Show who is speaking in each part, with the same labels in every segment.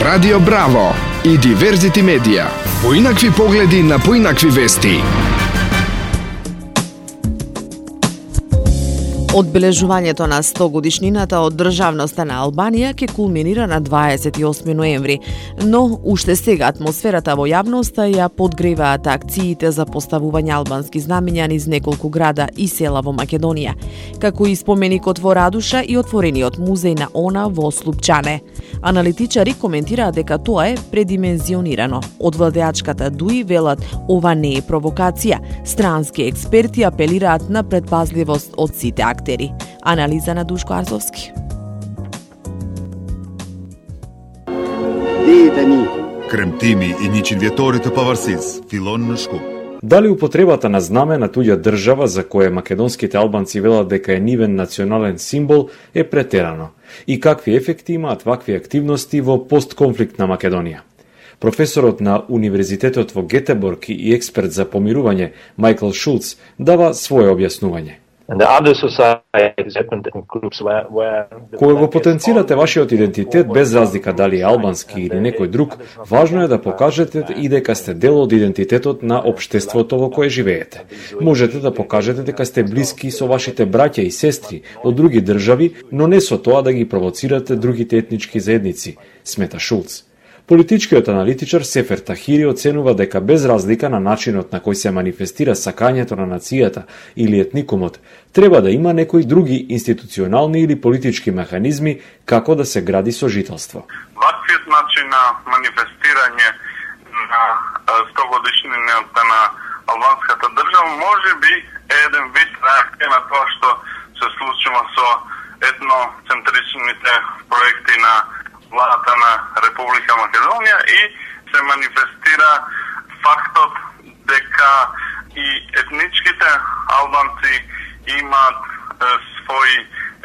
Speaker 1: Радио Браво и Диверзити медија. Поинакви погледи на поинакви вести.
Speaker 2: Одбележувањето на 100 годишнината од државноста на Албанија ќе кулминира на 28 ноември, но уште сега атмосферата во јавноста ја подгреваат акциите за поставување албански знамиња низ неколку града и села во Македонија, како и споменикот во Радуша и отворениот музеј на ОНА во Слупчане. Аналитичари коментираат дека тоа е предимензионирано. Од владеачката ДУИ велат ова не е провокација. Странски експерти апелираат на предпазливост од сите актери. Анализа на Душко Арзовски.
Speaker 3: Кремтими и ничин вјеторите паварсиз, Филон Ншку.
Speaker 4: Дали употребата на знаме на туѓа држава за кое македонските албанци велат дека е нивен национален символ е претерано? И какви ефекти имаат вакви активности во постконфликтна Македонија? Професорот на Универзитетот во Гетеборг и експерт за помирување Майкл Шулц дава свое објаснување. Кога го потенцирате вашиот идентитет без разлика дали е албански или некој друг, важно е да покажете и дека сте дел од идентитетот на општеството во кое живеете. Можете да покажете дека сте блиски со вашите браќа и сестри од други држави, но не со тоа да ги провоцирате другите етнички заедници, смета Шулц. Политичкиот аналитичар Сефер Тахири оценува дека без разлика на начинот на кој се манифестира сакањето на нацијата или етникумот, треба да има некои други институционални или политички механизми како да се гради сожителство.
Speaker 5: Ваквиот начин на манифестирање на 100 годишнината на албанската држава може би е еден вид реакција на тоа што се случува со етноцентричните проекти на владата на Република Македонија и се манифестира фактот дека и етничките албанци имаат своји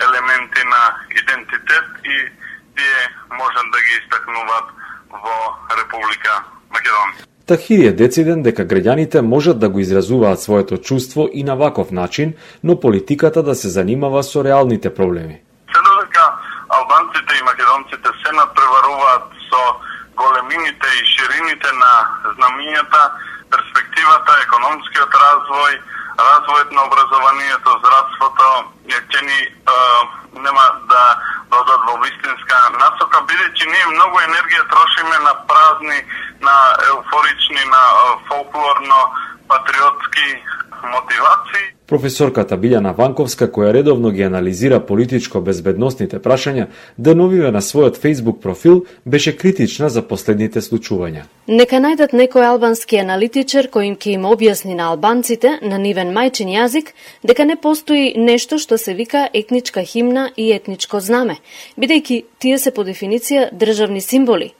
Speaker 5: елементи на идентитет и тие можат да ги истакнуваат во Република Македонија.
Speaker 4: Тахири е дециден дека граѓаните можат да го изразуваат своето чувство и на ваков начин, но политиката да се занимава со реалните проблеми.
Speaker 5: Албанците и македонците се надпреваруваат со големините и ширините на знамињата, перспективата, економскиот развој, развојот на образованието, здравството, ќе ни нема да додат во вистинска насока, бидејќи ние многу енергија трошиме на празни, на еуфорични, на фолклорно, патриотски мотивации.
Speaker 4: Професорката Билјана Ванковска, која редовно ги анализира политичко-безбедносните прашања, деновиве на својот Facebook профил беше критична за последните случувања.
Speaker 6: Нека најдат некој албански аналитичар кој ќе им објасни на албанците на нивен мајчин јазик дека не постои нешто што се вика етничка химна и етничко знаме, бидејќи тие се по дефиниција државни символи.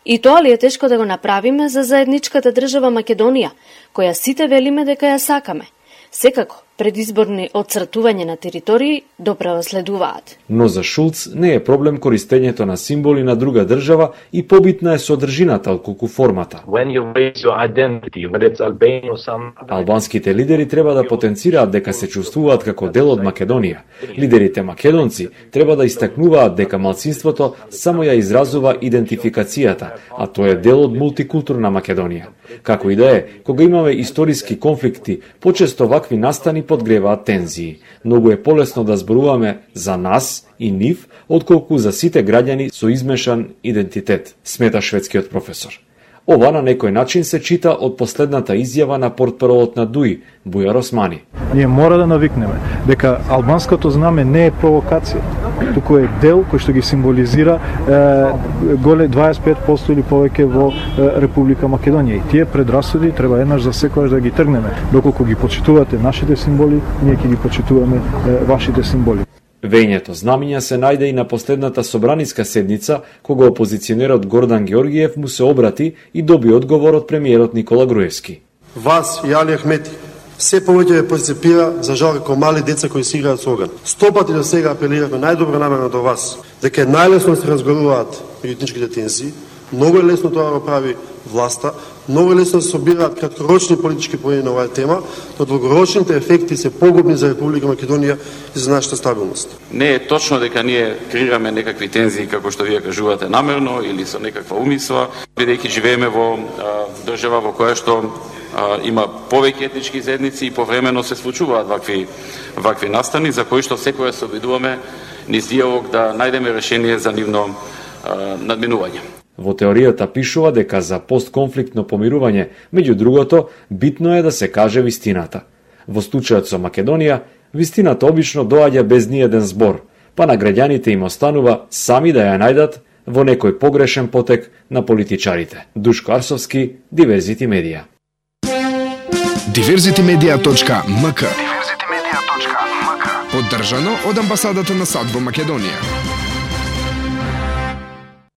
Speaker 6: И тоа ли е тешко да го направиме за заедничката држава Македонија, која сите велиме дека ја сакаме? Секако, предизборни отцртување на територии допрево следуваат. Но
Speaker 4: за Шулц не е проблем користењето на символи на друга држава и побитна е содржината отколку формата. Албанските лидери треба да потенцираат дека се чувствуваат како дел од Македонија. Лидерите македонци треба да истакнуваат дека малцинството само ја изразува идентификацијата, а тоа е дел од мултикултурна Македонија. Како и да е, кога имаме историски конфликти, почесто вакви настани подгреваат тензии. Многу е полесно да зборуваме за нас и нив, отколку за сите граѓани со измешан идентитет, смета шведскиот професор. Ова на некој начин се чита од последната изјава на портпаролот на ДУИ, Бујар Османи.
Speaker 7: Ние мора да навикнеме дека албанското знаме не е провокација, туку е дел кој што ги символизира голе 25% или повеќе во Република Македонија. И тие предрасуди треба еднаш за секогаш да ги тргнеме. Доколку ги почитувате нашите символи, ние ќе ги почитуваме вашите символи.
Speaker 4: Вењето знамиња се најде и на последната собраниска седница, кога опозиционерот Гордан Георгиев му се обрати и доби одговор од премиерот Никола Груевски.
Speaker 8: Вас и Али Ахмети се повеќе ве перцепира за жал како мали деца кои си играат со оган. 100 пати до сега апелиравме најдобро намерно до вас дека е најлесно да се разговаруваат етничките тензии, Многу е лесно тоа да прави власта, многу е лесно да се собираат краткорочни политички поени на оваа тема, но долгорочните ефекти се погубни за Република Македонија и за нашата стабилност.
Speaker 9: Не е точно дека ние креираме некакви тензии, како што вие кажувате, намерно или со некаква умисла, бидејќи живееме во држава во која што има повеќе етнички заедници и повремено се случуваат вакви настани, за кои што секоја се обидуваме низ диалог да најдеме решение за нивно надминување.
Speaker 4: Во теоријата пишува дека за постконфликтно помирување, меѓу другото, битно е да се каже вистината. Во случајот со Македонија, вистината обично доаѓа без ниеден збор, па на граѓаните им останува сами да ја најдат во некој погрешен потек на политичарите. Душко Арсовски, Диверзити медија.
Speaker 1: Diverzitymedia.mk Поддржано од амбасадата на САД во Македонија.